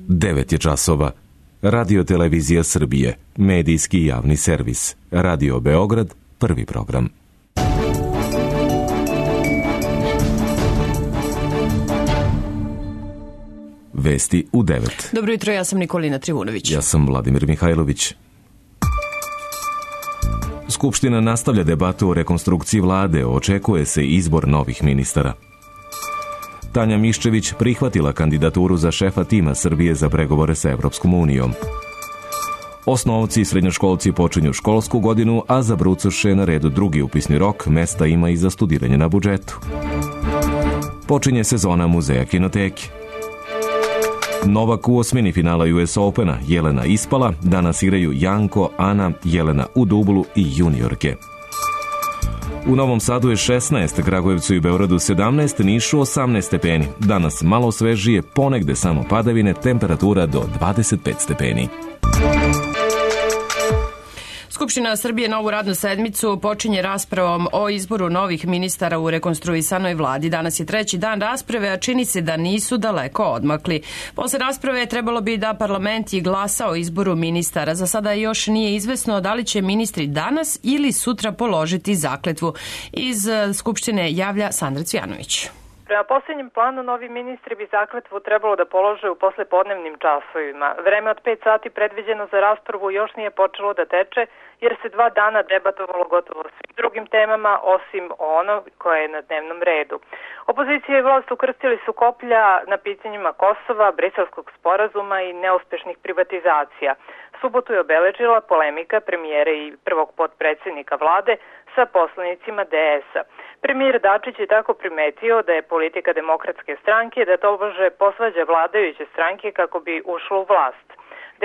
9 je časova. Radio Televizija Srbije, medijski javni servis. Radio Beograd, prvi program. Vesti u 9. Dobro jutro, ja sam Nikolina Trivunović. Ja sam Vladimir Mihajlović. Skupština nastavlja debatu o rekonstrukciji vlade, očekuje se izbor novih ministara. Tanja Miščević prihvatila kandidaturu za šefa tima Srbije za pregovore sa Evropskom unijom. Osnovci i srednjoškolci počinju školsku godinu, a za brucoše je na redu drugi upisni rok, mesta ima i za studiranje na budžetu. Počinje sezona muzeja kinoteke. Novak u osmini finala US Opena, Jelena ispala, danas igraju Janko, Ana, Jelena u dublu i juniorke. U Novom Sadu je 16, Kragujevcu i Beogradu 17, Nišu 18 stepeni. Danas malo svežije, ponegde samo padavine, temperatura do 25 stepeni. Skupština Srbije novu radnu sedmicu počinje raspravom o izboru novih ministara u rekonstruisanoj vladi. Danas je treći dan rasprave, a čini se da nisu daleko odmakli. Posle rasprave trebalo bi da parlament i glasa o izboru ministara. Za sada još nije izvesno da li će ministri danas ili sutra položiti zakletvu. Iz Skupštine javlja Sandra Cvijanović. Prema posljednjem planu, novi ministri bi zakletvu trebalo da polože u poslepodnevnim časovima. Vreme od 5 sati predviđeno za raspravu još nije počelo da teče, jer se 2 dana debatovalo gotovo svim drugim temama, osim ono koje je na dnevnom redu. Opozicija i vlast ukrstili su koplja na pitanjima Kosova, Briselskog sporazuma i neuspešnih privatizacija. Subotu je obeležila polemika premijera i prvog potpredsjednika vlade sa poslanicima DS-a. Premijer Dačić je tako primetio da je politika Demokratske stranke da tobože posvađa vladajuće stranke kako bi ušlo u vlast.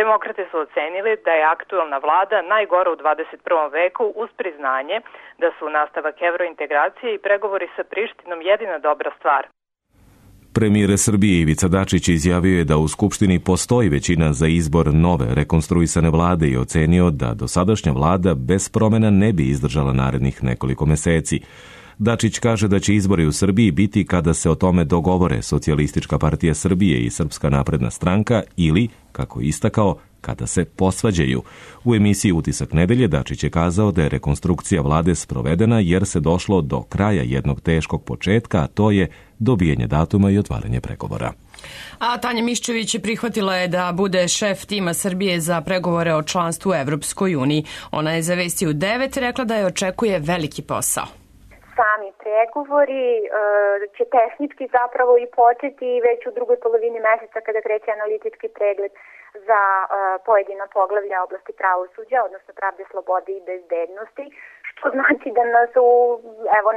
Demokrate su ocenili da je aktuelna vlada najgora u 21. veku uz priznanje da su nastavak evrointegracije i pregovori sa Prištinom jedina dobra stvar. Premijer Srbije Ivica Dačić izjavio je da u Skupštini postoji većina za izbor nove rekonstruisane vlade i ocenio da dosadašnja vlada bez promjena ne bi izdržala narednih nekoliko meseci. Dačić kaže da će izbori u Srbiji biti kada se o tome dogovore Socijalistička partija Srbije i Srpska napredna stranka ili, kako je istakao, kada se posvađaju. U emisiji Utisak nedelje Dačić je kazao da je rekonstrukcija vlade sprovedena jer se došlo do kraja jednog teškog početka, a to je dobijanje datuma i otvaranje pregovora. A Tanja Miščević prihvatila je da bude šef tima Srbije za pregovore o članstvu u Evropskoj uniji. Ona je za Vesti u 9 rekla da je očekuje veliki posao. Sami pregovori će tehnički zapravo i početi već u drugoj polovini meseca kada kreće analitički pregled za pojedina poglavlja oblasti pravosuđa, odnosno pravde, slobode i bezbednosti, što znači da nas u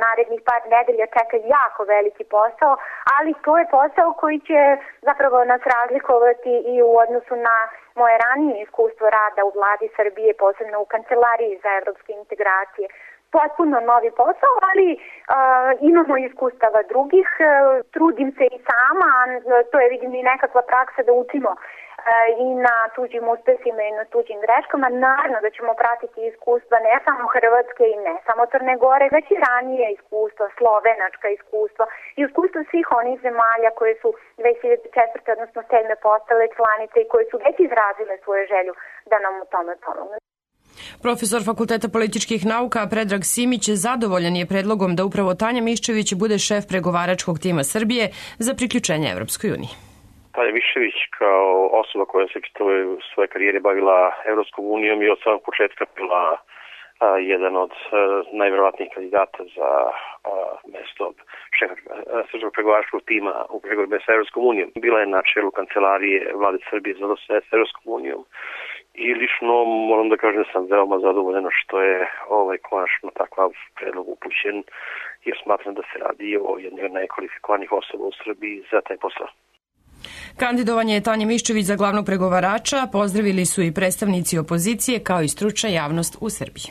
narednih par nedelja čeka jako veliki posao, ali to je posao koji će zapravo nas razlikovati i u odnosu na moje ranije iskustvo rada u vladi Srbije, posebno u Kancelariji za evropske integracije. Potpuno novi posao, ali imamo iskustava drugih, trudim se i sama, to je vidim i nekakva praksa da učimo i na tuđim uspesima i na tuđim greškama. Naravno da ćemo pratiti iskustva ne samo Hrvatske i ne samo Crne Gore, već i ranije iskustva, slovenačka iskustva i iskustva svih onih zemalja koje su 2004. odnosno 7. postale članice i koje su već izrazile svoju želju da nam u tome pomognu. Profesor Fakulteta političkih nauka Predrag Simić zadovoljan je predlogom da upravo Tanja Miščević bude šef pregovaračkog tima Srbije za priključenje Evropskoj uniji. Tanja Miščević kao osoba koja se u svoje karijere bavila Evropskom unijom i od samog početka bila jedan od najverovatnijih kandidata za mesto šefa srpskog pregovaračkog tima u pregovorima sa Evropskom unijom. Bila je na čelu kancelarije vlade Srbije za odnose sa Evropskom unijom. I lično moram da kažem da sam veoma zadovoljan što je konačno takav predlog upućen, jer smatram da se radi o jednoj od najkvalifikovanih osoba u Srbiji za taj posao. Kandidovanje Tanje Miščević za glavnog pregovarača pozdravili su i predstavnici opozicije kao i stručna javnost u Srbiji.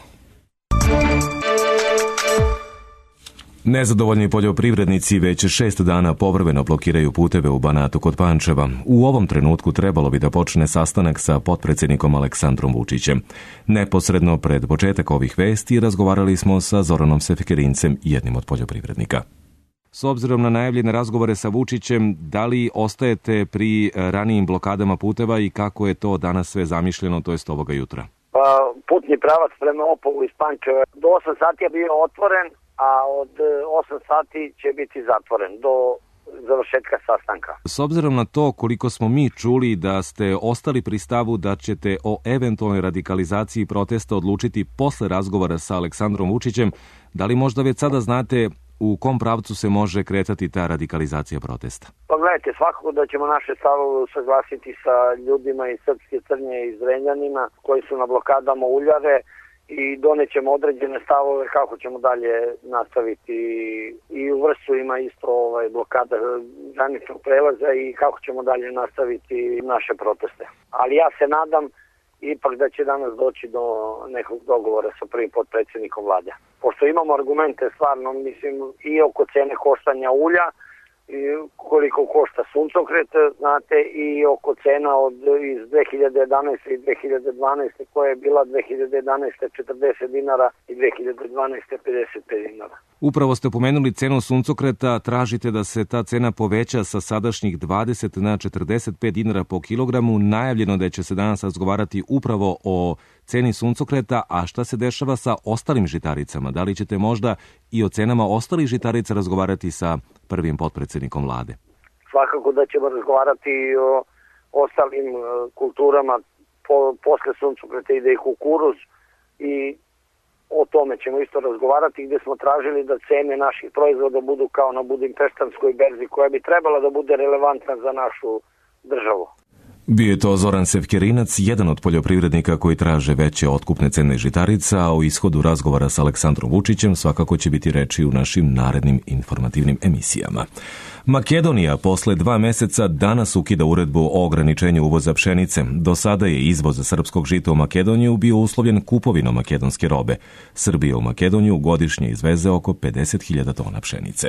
Nezadovoljni poljoprivrednici već 6 dana povremeno blokiraju puteve u Banatu kod Pančeva. U ovom trenutku trebalo bi da počne sastanak sa potpredsjednikom Aleksandrom Vučićem. Neposredno pred početak ovih vesti razgovarali smo sa Zoranom Sefekerincem, jednim od poljoprivrednika. S obzirom na najavljene razgovore sa Vučićem, da li ostajete pri ranijim blokadama puteva i kako je to danas sve zamišljeno, to jest ovoga jutra? Putni pravac prema Opovu iz Pančeva do 8 sati je bio otvoren, a od 8 sati će biti zatvoren do završetka sastanka. S obzirom na to koliko smo mi čuli da ste ostali pri stavu da ćete o eventualnoj radikalizaciji protesta odlučiti posle razgovora sa Aleksandrom Vučićem, da li možda već sada znate u kom pravcu se može kretati ta radikalizacija protesta? Pa gledajte, svakako da ćemo naše stavove usaglasiti sa ljudima iz Srpske Crnje i Zrenjanina koji su na blokadama Uljare i donećemo određene stavove kako ćemo dalje nastaviti. I u Vršcu ima isto blokada graničnog prelaza i kako ćemo dalje nastaviti naše proteste. Ali ja se nadam ipak da će danas doći do nekog dogovora sa prvim potpredsjednikom vlade. Pošto imamo argumente stvarno, mislim, i oko cene koštanja ulja, i koliko košta suncokret, znate, i oko cena iz 2011. i 2012. koja je bila 2011. 40 dinara i 2012. 55 dinara. Upravo ste pomenuli cenu suncokreta, tražite da se ta cena poveća sa sadašnjih 20 na 45 dinara po kilogramu. Najavljeno da će se danas razgovarati upravo o ceni suncokreta, a šta se dešava sa ostalim žitaricama? Da li ćete možda i o cenama ostalih žitarica razgovarati sa prvim potpredsjednikom vlade? Svakako da ćemo razgovarati i o ostalim kulturama. Posle suncokreta ide i kukuruz i o tome ćemo isto razgovarati, gdje smo tražili da cene naših proizvoda budu kao na budimpeštanskoj berzi koja bi trebala da bude relevantna za našu državu. Bio je to Zoran Sevkerinac, jedan od poljoprivrednika koji traže veće otkupne cene žitarica, a o ishodu razgovora sa Aleksandrom Vučićem svakako će biti reči u našim narednim informativnim emisijama. Makedonija posle 2 meseca danas ukida uredbu o ograničenju uvoza pšenice. Do sada je izvoz srpskog žita u Makedoniju bio uslovljen kupovinom makedonske robe. Srbija u Makedoniju godišnje izveze oko 50.000 tona pšenice.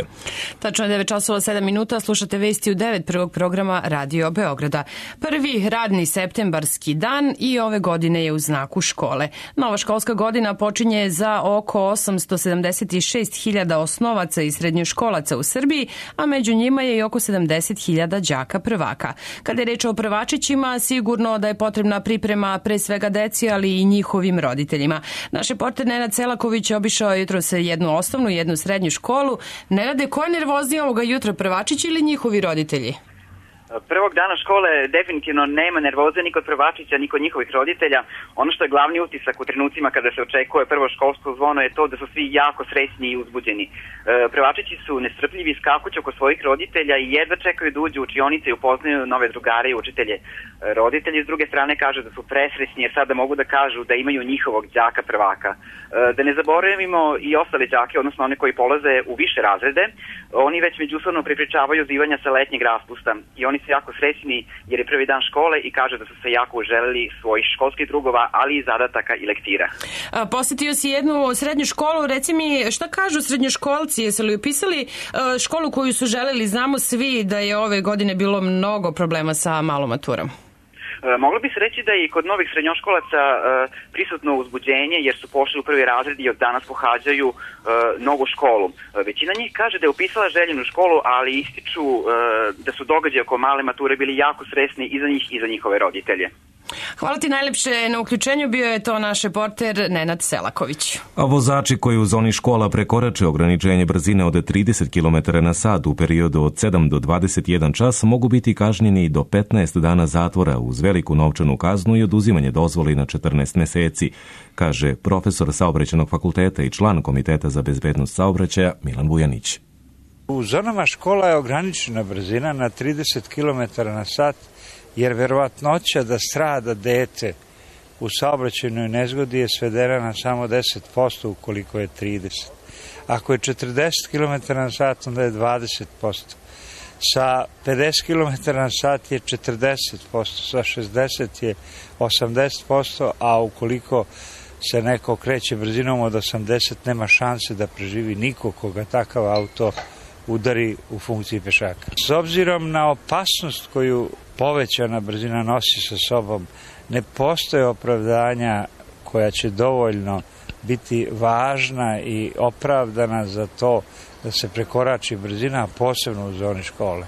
Tačno je 9 časova 7 minuta, slušate vesti u 9 prvog programa Radio Beograda. Prvi radni septembarski dan i ove godine je u znaku škole. Nova školska godina počinje za oko 876.000 osnovaca i srednjoškolaca u Srbiji, a među njima je i oko 70.000 đaka prvaka. Kada je reč o prvačićima, sigurno da je potrebna priprema pre svega deci, ali i njihovim roditeljima. Naš reporter Nenad Selaković obišao jutros jednu osnovnu i jednu srednju školu. Nenade, ko je nervozniji ovoga jutra, prvačići ili njihovi roditelji? Prvog dana škole definitivno nema nervoze ni kod prvačića, ni kod njihovih roditelja. Ono što je glavni utisak u trenucima kada se očekuje prvo školsko zvono je to da su svi jako srećni i uzbuđeni. Prvačići su nestrpljivi i skakući oko svojih roditelja i jedva čekaju da uđu u učionice i upoznaju nove drugare i učitelje. Roditelji s druge strane kažu da su presrećni jer sada mogu da kažu da imaju njihovog đaka prvaka. Da ne zaboravimo i ostale đake, odnosno one koji polaze u više razrede, oni već međusobno prepričavaju zivanja sa letnjeg raspusta i oni su jako srećni jer je prvi dan škole i kažu da su se jako uželeli svojih školskih drugova, ali i zadataka i lektira. Posetio si jednu srednju školu, reci mi šta kažu srednjoškolci, jesu li upisali školu koju su želeli? Znamo svi da je ove godine bilo mnogo problema sa malom maturom. Moglo bi se reći da je i kod novih srednjoškolaca prisutno uzbuđenje jer su pošli u prvi razred i od danas pohađaju novu školu. Većina njih kaže da je upisala željenu školu, ali ističu da su događaji oko male mature bili jako stresni i za njih i za njihove roditelje. Hvala ti najlepše na uključenju, bio je to naš reporter Nenad Selaković. A vozači koji u zoni škola prekorače ograničenje brzine od 30 km na sat u periodu od 7 do 21 čas mogu biti kažnjeni do 15 dana zatvora uz veliku novčanu kaznu i oduzimanje dozvoli na 14 meseci, kaže profesor Saobraćajnog fakulteta i član Komiteta za bezbednost saobraćaja Milan Vujanić. U zonama škola je ograničena brzina na 30 km na sat, jer verovatnoća da strada dete u saobraćajnoj nezgodi je svedena na samo 10% ukoliko je 30. Ako je 40 km na sat, onda je 20%. Sa 50 km na sat je 40%, sa 60 je 80%, a ukoliko se neko kreće brzinom od 80, nema šanse da preživi niko koga takav auto udari u funkciji pešaka. S obzirom na opasnost koju povećana brzina nosi sa sobom, ne postoje opravdanja koja će dovoljno biti važna i opravdana za to da se prekorači brzina, posebno u zoni škole.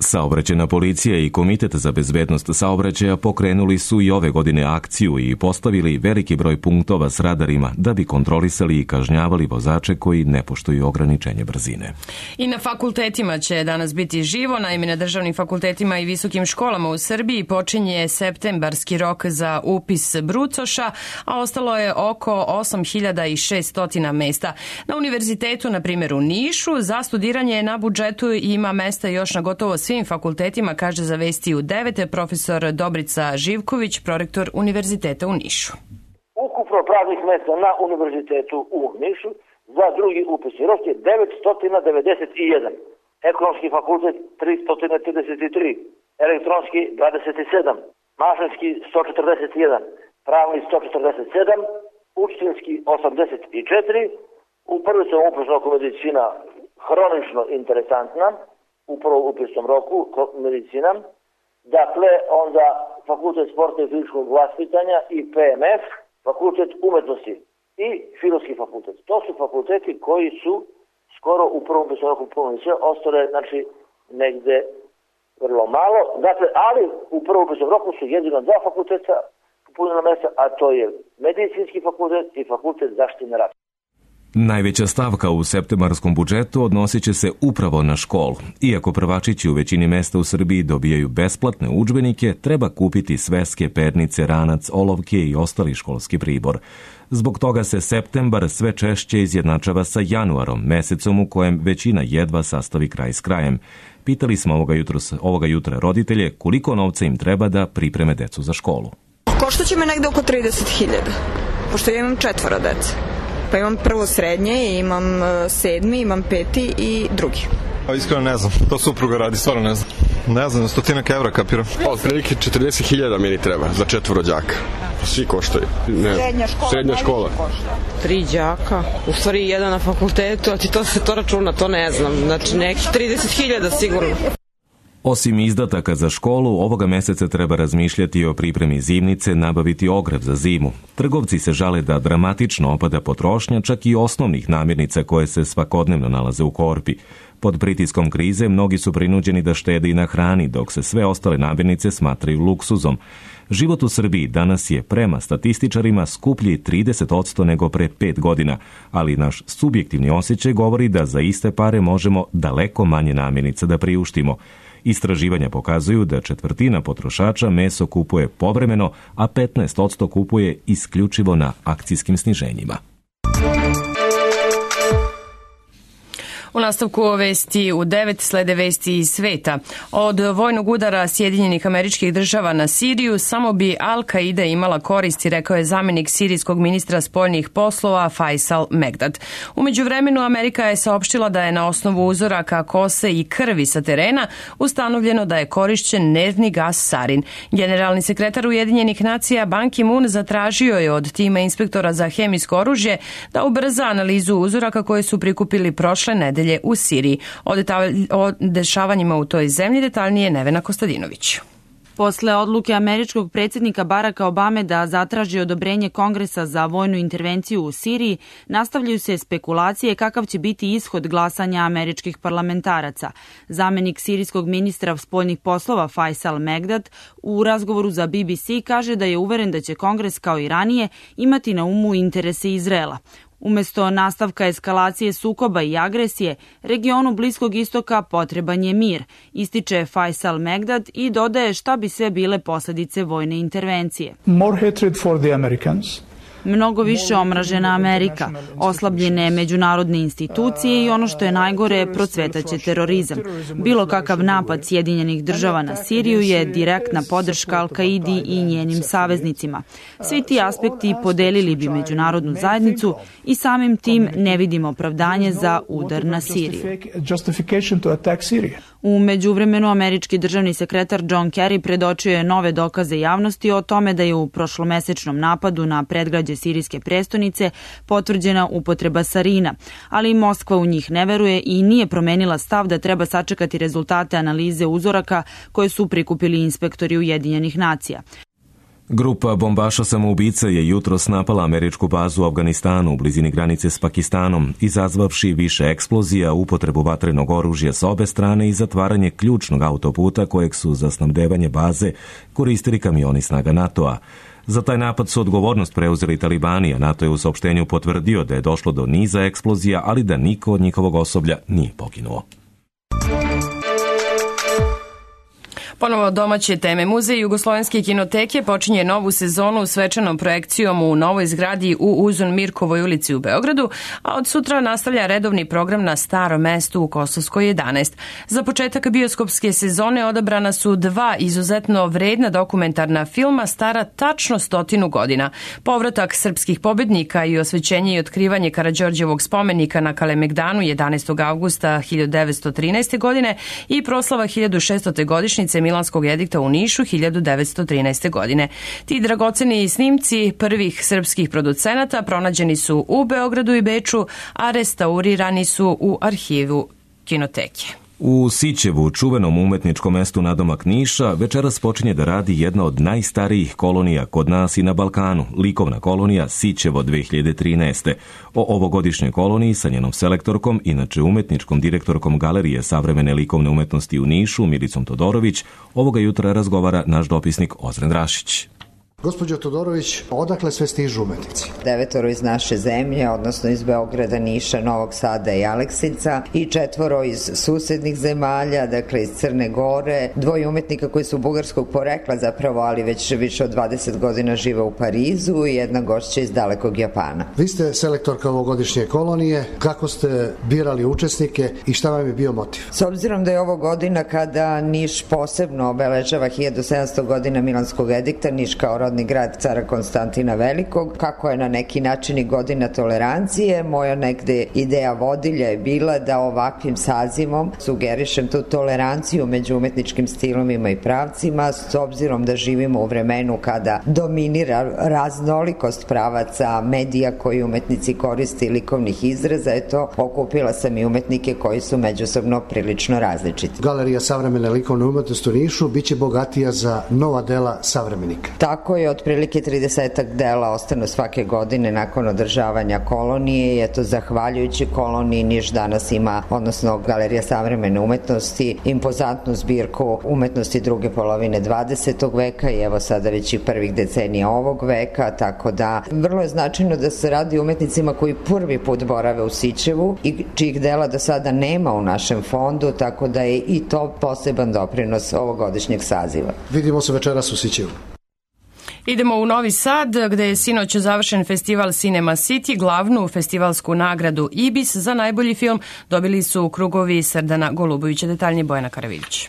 Saobraćajna policija i Komitet za bezbednost saobraćaja pokrenuli su i ove godine akciju i postavili veliki broj punktova s radarima da bi kontrolisali i kažnjavali vozače koji ne poštuju ograničenje brzine. I na fakultetima će danas biti živo. Naime, na državnim fakultetima i visokim školama u Srbiji počinje septembarski rok za upis brucoša, a ostalo je oko 8600 mesta. Na univerzitetu, na primjer u Nišu, za studiranje na budžetu ima mesta još na gotovo svim fakultetima, kaže za Vesti u 9 profesor Dobrica Živković, prorektor Univerziteta u Nišu. Ukupno praznih mesta na Univerzitetu u Nišu za drugi upisni rok je 991. Ekonomski fakultet 333, elektronski 27, mašinski 141, pravni 147, učiteljski 84, u prvom upisnom roku medicina hronično interesantna, u prvom upisnom roku medicina, dakle onda fakultet sporta i fizičkog vaspitanja i PMF, fakultet umetnosti i filozofski fakultet. To su fakulteti koji su skoro u prvom upisnom roku punili sve, ostale znači negde vrlo malo, dakle, ali u prvom upisnom roku su jedino dva fakulteta punila mesta, a to je medicinski fakultet i fakultet zaštite rata. Najveća stavka u septembarskom budžetu odnosit će se upravo na školu. Iako prvačići u većini mesta u Srbiji dobijaju besplatne udžbenike, treba kupiti sveske, pernice, ranac, olovke i ostali školski pribor. Zbog toga se septembar sve češće izjednačava sa januarom, mesecom u kojem većina jedva sastavi kraj s krajem. Pitali smo ovoga jutra roditelje koliko novca im treba da pripreme decu za školu. Koštaće me negde oko 30.000, pošto ja imam 4 dece. Pa imam prvo srednje, imam 7, imam 5 i drugi. Iskreno ne znam, to supruga radi, stvarno ne znam. Ne znam, 100 evra kapiram. Otprilike 40.000 meni treba za 4 đaka. Svi koštaju. Srednja škola. 3 đaka, u stvari jedan na fakultetu, a ti to računa, to ne znam. Znači nekih 30.000 sigurno. Osim izdataka za školu, ovoga meseca treba razmišljati o pripremi zimnice, nabaviti ogrev za zimu. Trgovci se žale da dramatično opada potrošnja čak i osnovnih namirnica koje se svakodnevno nalaze u korpi. Pod pritiskom krize mnogi su prinuđeni da štede i na hrani, dok se sve ostale namirnice smatraju luksuzom. Život u Srbiji danas je prema statističarima skuplji 30% nego pre 5 godina, ali naš subjektivni osjećaj govori da za iste pare možemo daleko manje namirnica da priuštimo. Istraživanja pokazuju da 1/4 potrošača meso kupuje povremeno, a 15% kupuje isključivo na akcijskim sniženjima. U nastavku Vesti u 9 slede vesti iz sveta. Od vojnog udara Sjedinjenih Američkih Država na Siriju samo bi Al-Qaida imala koristi, rekao je zamenik sirijskog ministra spoljnih poslova Faisal Megdad. U međuvremenu Amerika je saopštila da je na osnovu uzoraka kose i krvi sa terena ustanovljeno da je korišćen nervni gas sarin. Generalni sekretar Ujedinjenih nacija Ban Ki-moon zatražio je od tima inspektora za hemijsko oružje da ubrza analizu uzoraka koje su prikupili prošle nedelje u Siriji. O dešavanjima u toj zemlji detaljnije Nevena Kostadinović. Posle odluke američkog predsjednika Baracka Obame da zatraži odobrenje Kongresa za vojnu intervenciju u Siriji, nastavljaju se spekulacije kakav će biti ishod glasanja američkih parlamentaraca. Zamenik sirijskog ministra spoljnih poslova Faisal Megdad u razgovoru za BBC kaže da je uveren da će Kongres kao i ranije imati na umu interese Izraela. Umesto nastavka eskalacije sukoba i agresije, regionu Bliskog istoka potreban je mir, ističe Faisal Megdad i dodaje šta bi sve bile posljedice vojne intervencije. More hatred for the Americans. Mnogo više omražena Amerika, oslabljene međunarodne institucije i ono što je najgore, procvetaće terorizam. Bilo kakav napad Sjedinjenih Država na Siriju je direktna podrška Al-Qaidi i njenim saveznicima. Svi ti aspekti podelili bi međunarodnu zajednicu i samim tim ne vidimo opravdanje za udar na Siriju. U međuvremenu američki državni sekretar John Kerry predočio je nove dokaze javnosti o tome da je u prošlomesečnom napadu na predgrađe sirijske prestonice potvrđena upotreba sarina, ali Moskva u njih ne veruje i nije promenila stav da treba sačekati rezultate analize uzoraka koje su prikupili inspektori Ujedinjenih nacija. Grupa bombaša samoubica je jutros napala američku bazu u Afganistanu u blizini granice s Pakistanom, izazvavši više eksplozija, upotrebu vatrenog oružja s obe strane i zatvaranje ključnog autoputa kojeg su za snabdevanje baze koristili kamioni snaga NATO-a. Za taj napad su odgovornost preuzeli talibani, a NATO je u saopštenju potvrdio da je došlo do niza eksplozija, ali da niko od njihovog osoblja nije poginuo. Ponovo domaće teme. Muzej Jugoslovenske kinoteke počinje novu sezonu svečanom projekcijom u novoj zgradi u Uzun Mirkovoj ulici u Beogradu, a od sutra nastavlja redovni program na Starom mestu u Kosovskoj 11. Za početak bioskopske sezone odabrana su dva izuzetno vredna dokumentarna filma stara tačno 100 godina. Povratak srpskih pobednika i osvećenje i otkrivanje Karađorđevog spomenika na Kalemegdanu 11. avgusta 1913. godine i proslava 1600. godišnjice Milanskog edikta u Nišu 1913. godine. Ti dragoceni snimci prvih srpskih producenata pronađeni su u Beogradu i Beču, a restaurirani su u arhivu kinoteke. U Sićevu, čuvenom umetničkom mestu nadomak Niša, večeras počinje da radi jedna od najstarijih kolonija kod nas i na Balkanu, likovna kolonija Sićevo 2013. O ovogodišnjoj koloniji sa njenom selektorkom, inače umetničkom direktorkom Galerije savremene likovne umetnosti u Nišu, Milicom Todorović, ovoga jutra razgovara naš dopisnik Ozren Rašić. Gospođo Todorović, odakle sve stižu umetnici? 9 iz naše zemlje, odnosno iz Beograda, Niša, Novog Sada i Aleksinca i 4 iz susednih zemalja, dakle iz Crne Gore, 2 umetnika koji su bugarskog porekla zapravo, ali već više od 20 godina žive u Parizu i 1 gošća iz dalekog Japana. Vi ste selektorka ovogodišnje kolonije, kako ste birali učesnike i šta vam je bio motiv? S obzirom da je ovo godina kada Niš posebno obeležava 1700 godina Milanskog edikta, Niš kao rodni grad cara Konstantina Velikog, kako je na neki način i godina tolerancije, moja negde ideja vodilja je bila da ovakvim sazivom sugerišem tu toleranciju među umetničkim stilovima i pravcima, s obzirom da živimo u vremenu kada dominira raznolikost pravaca, medija koji umetnici koriste i likovnih izraza, okupila sam i umetnike koji su međusobno prilično različiti. Galerija savremene likovne umetnosti u Nišu biće bogatija za nova dela savremenika. Tako je, otprilike 30 dela ostanu svake godine nakon održavanja kolonije i eto, zahvaljujući koloniji Niš danas ima, odnosno Galerija savremene umetnosti, impozantnu zbirku umetnosti druge polovine 20. veka i evo sada već i prvih decenija ovog veka, tako da vrlo je značajno da se radi umetnicima koji prvi put borave u Sićevu i čijih dela do sada nema u našem fondu, tako da je i to poseban doprinos ovogodišnjeg saziva. Vidimo se večeras u Sićevu. Idemo u Novi Sad, gde je sinoć završen festival Cinema City. Glavnu festivalsku nagradu IBIS za najbolji film dobili su krugovi Srdana Golubovića. Detaljnije Bojana Karavić.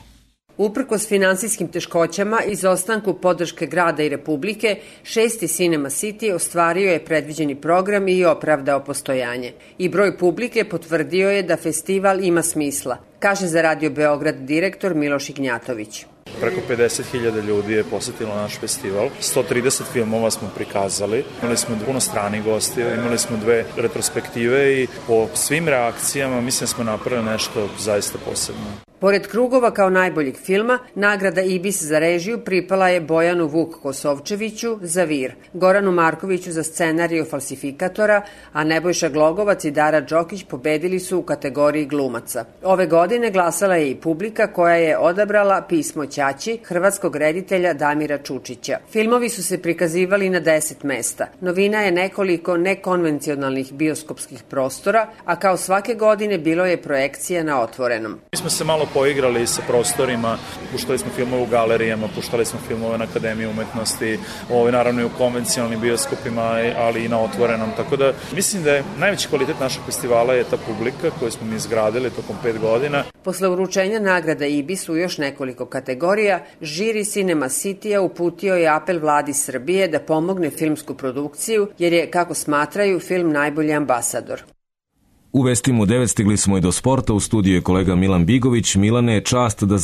Uprkos finansijskim teškoćama i izostanku podrške grada i Republike, 6. Cinema City ostvario je predviđeni program i opravdao postojanje. I broj publike potvrdio je da festival ima smisla, kaže za Radio Beograd direktor Miloš Ignjatović. Preko 50.000 ljudi je posetilo naš festival. 130 filmova smo prikazali. Imali smo puno stranih gostija, imali smo 2 retrospektive i po svim reakcijama mislim da smo napravili nešto zaista posebno. Pored krugova kao najboljeg filma, nagrada IBIS za režiju pripala je Bojanu Vuk Kosovčeviću za Vir, Goranu Markoviću za scenariju Falsifikatora, a Nebojša Glogovac i Dara Đokić pobedili su u kategoriji glumaca. Ove godine glasala je i publika koja je odabrala Pismo Ćaći hrvatskog reditelja Damira Čučića. Filmovi su se prikazivali na 10 mesta. Novina je nekoliko nekonvencionalnih bioskopskih prostora, a kao svake godine bilo je projekcija na otvorenom. Mi smo se malo poigrali sa prostorima, puštali smo filmove u galerijama, puštali smo filmove na Akademiji umetnosti, naravno i u konvencionalnim bioskopima, ali i na otvorenom, tako da mislim da je najveći kvalitet našeg festivala je ta publika koju smo mi izgradili tokom 5 godina. Posle uručenja nagrada IBIS u još nekoliko kategorija, žiri Cinema City-a uputio je apel vladi Srbije da pomogne filmsku produkciju, jer je, kako smatraju, film najbolji ambasador. U vestima u 9 stigli smo i do sporta. U studiju je kolega Milan Bigović. Milane, čast da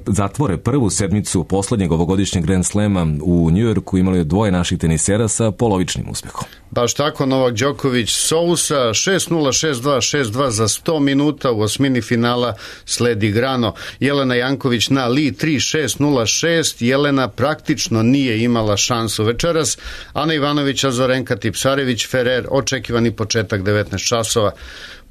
zatvore prvu sedmicu poslednjeg ovogodišnjeg Grand Slema u Njujorku. Imali je dvoje naših tenisera sa polovičnim uspehom. Baš tako, Novak Đoković Sousa 6-0, 6-2, 6-2 za 100 minuta. U osmini finala sledi Grano. Jelena Janković na Li 3-6-0-6. Jelena praktično nije imala šansu večeras. Ana Ivanović, Azorenka Tipsarević, Ferrer, očekivani početak 19 časova.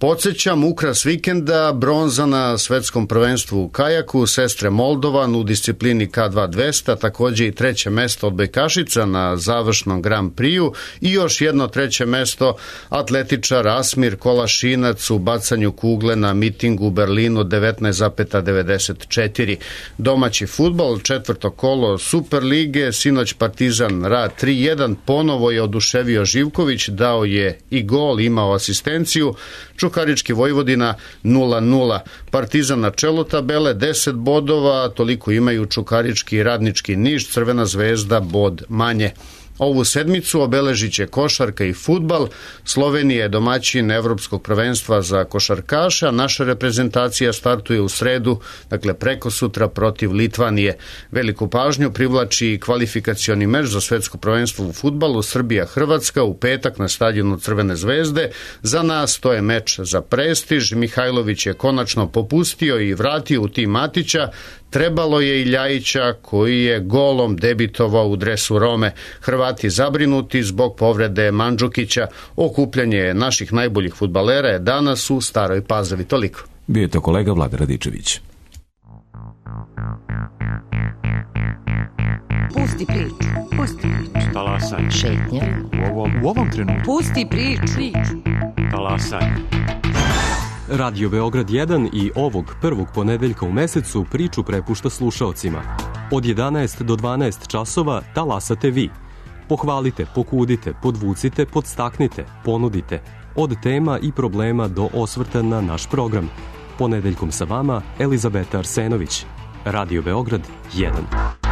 Podsjećam, ukras vikenda, bronza na svetskom prvenstvu u kajaku, sestre Moldovan u disciplini K2 200, takođe i treće mesto odbojkašica na završnom Grand Prix-u i još jedno treće mesto atletičar Asmir Kolašinac u bacanju kugle na mitingu u Berlinu 19,94. Domaći fudbal, četvrto kolo Super lige, sinoć Partizan Rad 3-1, ponovo je oduševio Živković, dao je i gol, imao asistenciju. Čukarički Vojvodina 0-0. Partizan na čelu tabele 10 bodova, toliko imaju Čukarički i Radnički Niš, Crvena zvezda bod manje. Ovu sedmicu obeležit će košarka i fudbal. Slovenija je domaćin Evropskog prvenstva za košarkaša. Naša reprezentacija startuje u sredu, dakle preko sutra protiv Litvanije. Veliku pažnju privlači kvalifikacioni meč za svetsko prvenstvo u fudbalu Srbija-Hrvatska u petak na stadionu Crvene zvezde. Za nas to je meč za prestiž. Mihajlović je konačno popustio i vratio u tim Matića. Trebalo je i Ljajića koji je golom debitovao u dresu Rome. Hrvati zabrinuti zbog povrede Mandžukića. Okupljanje naših najboljih fudbalera je danas u Staroj Pazovi. Toliko. Bio je to kolega Vlada Radičević. Pusti priču. Pusti priču. Talasaj. Šetnja. U ovom trenutku. Pusti priču. Talasaj. Radio Beograd 1 i ovog prvog ponedeljka u mesecu priču prepušta slušaocima. Od 11 do 12 časova talasate vi. Pohvalite, pokudite, podvucite, podstaknite, ponudite. Od tema i problema do osvrta na naš program. Ponedeljkom sa vama Elizabeta Arsenović. Radio Beograd 1.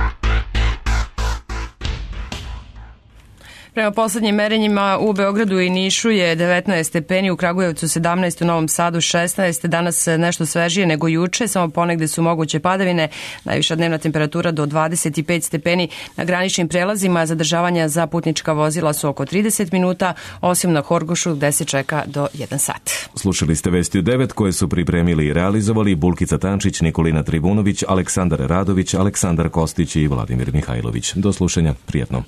Prema poslednjim merenjima u Beogradu i Nišu je 19 stepeni, u Kragujevcu 17, u Novom Sadu 16, danas nešto svežije nego juče, samo ponegde su moguće padavine, najviša dnevna temperatura do 25 stepeni, na graničnim prelazima zadržavanja za putnička vozila su oko 30 minuta, osim na Horgošu gde se čeka do 1 sat. Slušali ste Vesti u 9 koje su pripremili i realizovali Bulkica Tančić, Nikolina Tribunović, Aleksandar Radović, Aleksandar Kostić i Vladimir Mihajlović. Do slušanja, prijatno.